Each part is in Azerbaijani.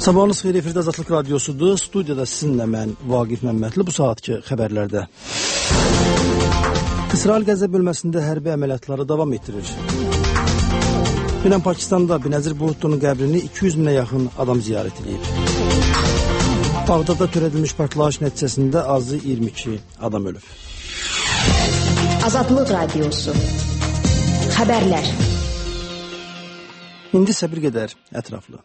Sabahınız xeyir, efirdə Azadlıq Radiosudur. Studiyada sizinlə mən Vaqif Məmmədli. Bu saatki xəbərlərdə. İsrail Qəzza bölməsində hərbi əməliyyatları davam etdirir. Dünən Pakistanda Benazir Bhutto'nun qəbrini 200 minə yaxın adam ziyarət edib. Bağdadda törədilmiş partlayış nəticəsində azı 22 adam ölüb. Azadlıq Radiosu. Xəbərlər. İndi isə bir qədər ətraflı.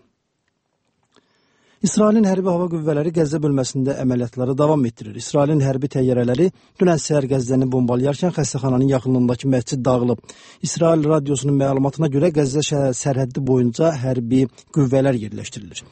İsrailin hərbi hava qüvvələri Qəzza bölməsində əməliyyatları davam etdirir. İsrailin hərbi təyyarələri dünən səhər Qəzzəni bombalayarkən xəstəxananın yaxınlığındakı məscid dağılıb. İsrail radiosunun məlumatına görə Qəzza sərhəddi boyunca hərbi qüvvələr yerləşdirilir.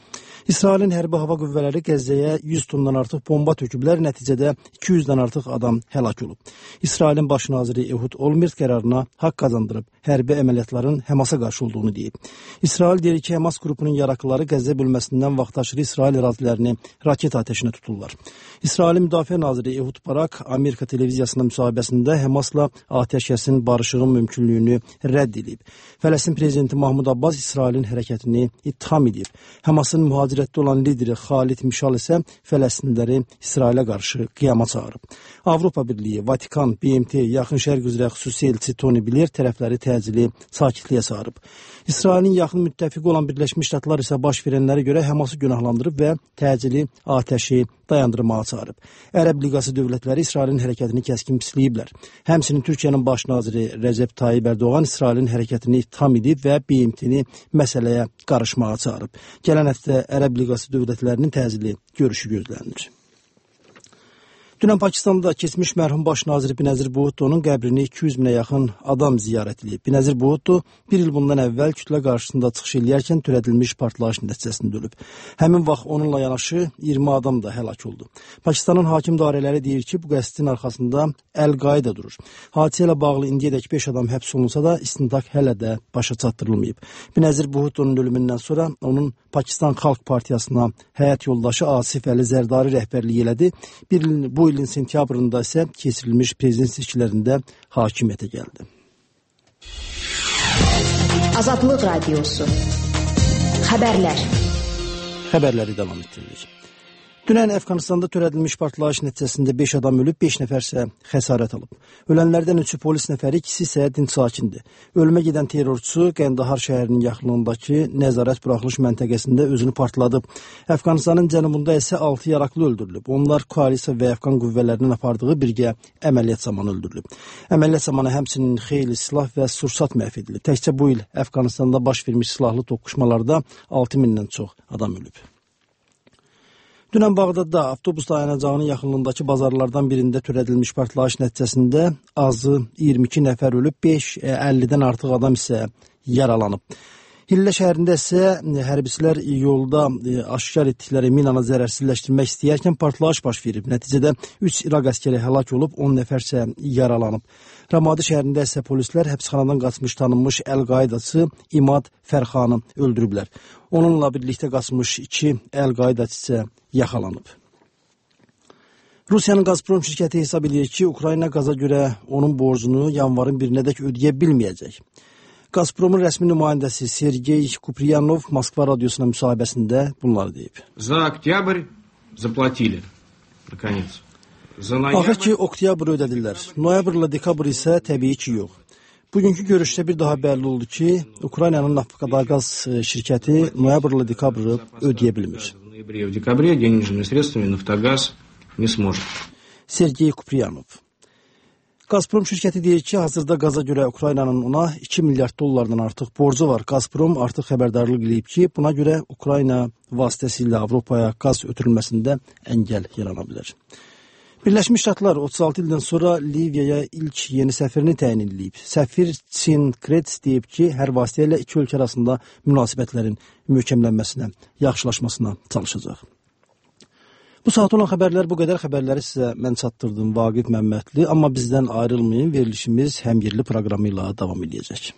İsrailin hərbi hava qüvvələri Qəzzəyə 100 tondan artıq bomba töküblər, nəticədə 200-dən artıq adam həlak olub. İsrailin baş naziri Ehud Olmert qərarına haqq qazandırıb, hərbi əməliyyatların Həmasa qarşı olduğunu deyib. İsrail deyir ki, Həmas qrupunun yaraqlıları Qəzza bölməsindən vaxtaşırı İsrail ərazilərini raket atəşinə tuturlar. İsrailin müdafiə naziri Ehud Barak Amerika televiziyasında müsahibəsində Həmasla atəşkəsin barışığın mümkünlüyünü rədd edib. Fələstin prezidenti Mahmud Abbas İsrailin hərəkətini ittiham edib. Həmasın mühacirətdə olan lideri Xalid Mişal isə Fələstinliləri İsrailə qarşı qiyama çağırıb. Avropa Birliyi, Vatikan, BMT, Yaxın Şərq üzrə xüsusi elçi Tony Blair tərəfləri təcili sakitliyə çağırıb. İsrailin yaxın müttəfiqi olan Birləşmiş Ştatlar isə baş verənlərə görə Həması günahlandırıb və təcili atəşi dayandırmağa çağırıb. Ərəb Liqası dövlətləri İsrailin hərəkətini kəskin pisləyiblər. Həmçinin Türkiyənin baş naziri Rəcəb Tayyib Ərdoğan İsrailin hərəkətini ittiham edib və BMT-ni məsələyə qarışmağa çağırıb. Gələn həftə Ərəb Liqası dövlətlərinin təcili görüşü gözlənilir. Dünən Pakistanda keçmiş mərhum baş naziri Benazir Bhutto'nun qəbrini 200 minə yaxın adam ziyarət edib. Benazir Bhutto bir il bundan əvvəl kütlə qarşısında çıxış eləyərkən törədilmiş partlayış nəticəsində ölüb. Həmin vaxt onunla yanaşı 20 adam da həlak oldu. Pakistanın hakim dairələri deyir ki, bu qəsdin arxasında Əl-Qaida durur. Hadisə ilə bağlı indiyədək 5 adam həbs olunsa da istintaq hələ də başa çatdırılmayıb. Benazir Bhutto'nun ölümündən sonra onun Pakistan Xalq Partiyasına həyat yoldaşı Asif Əli Zərdari rəhbərlik elədi. Bu ilin sentyabrında isə keçirilmiş prezident seçkilərində hakimiyyətə gəldi. Azadlıq Radiosu. Xəbərlər. Xəbərləri davam etdiririk. Dünən Əfqanistanda törədilmiş partlayış nəticəsində 5 adam ölüb, 5 nəfər isə xəsarət alıb. Ölənlərdən 3-ü polis nəfəri, 2-si isə dinc sakindir. Ölümə gedən terrorçu Qəndahar şəhərinin yaxınlığındakı nəzarət buraxılış məntəqəsində özünü partladıb. Əfqanistanın cənubunda isə 6 yaraqlı öldürülüb. Onlar koalisiya və Əfqan qüvvələrinin apardığı birgə əməliyyat zamanı öldürülüb. Əməliyyat zamanı həmçinin xeyli silah və sursat məhv edilib. Təkcə bu il Əfqanistanda baş vermiş silahlı toqquşmalarda 6000-dən çox adam ölüb. Dünən Bağdadda avtobus dayanacağının yaxınlığındakı bazarlardan birində törədilmiş partlayış nəticəsində azı 22 nəfər ölüb, 50-dən artıq adam isə yaralanıb. Hillə şəhərində isə hərbçilər yolda aşkar etdikləri minanı zərərsizləşdirmək istəyərkən partlayış baş verib. Nəticədə 3 İraq əskəri həlak olub, 10 nəfər isə yaralanıb. Ramadi şəhərində isə polislər həbsxanadan qaçmış tanınmış Əl-Qaidaçı İmad Fərxanı öldürüblər. Onunla birlikdə qaçmış 2 Əl-Qaidaçı isə yaxalanıb. Rusiyanın Gazprom şirkəti hesab edir ki, Ukrayna qaza görə onun borcunu yanvarın 1-nədək ödəyə bilməyəcək. Gazpromun rəsmi nümayəndəsi Sergey Kupriyanov Moskva radiosuna müsahibəsində bunları deyib. За октябрь заплатили, наконец. Axır ki, oktyabr ödədirlər. Noyabrla dekabr isə təbii ki, yox. Bugünkü görüşdə bir daha bəlli oldu ki, Ukraynanın Naftogaz şirkəti noyabrla dekabrı ödəyə bilmir. В декабре денежными средствами Нафтогаз не сможет. Sergey Kupriyanov. Gazprom şirkəti deyir ki, hazırda qaza görə Ukraynanın ona 2 milyard dollardan artıq borcu var. Gazprom artıq xəbərdarlıq edib ki, buna görə Ukrayna vasitəsilə Avropaya qaz ötürülməsində əngəl yarana bilər. Birləşmiş Ştatlar 36 ildən sonra Liviyaya ilk yeni səfirini təyin edilib. Səfir Çin Krets deyib ki, hər vasitə ilə iki ölkə arasında münasibətlərin möhkəmlənməsinə, yaxşılaşmasına çalışacaq. Bu saat olan xəbərlər bu qədər. Xəbərləri sizə mən çatdırdım Vaqif Məmmədli, amma bizdən ayrılmayın, verilişimiz həm yerli proqramı ilə davam edəcək.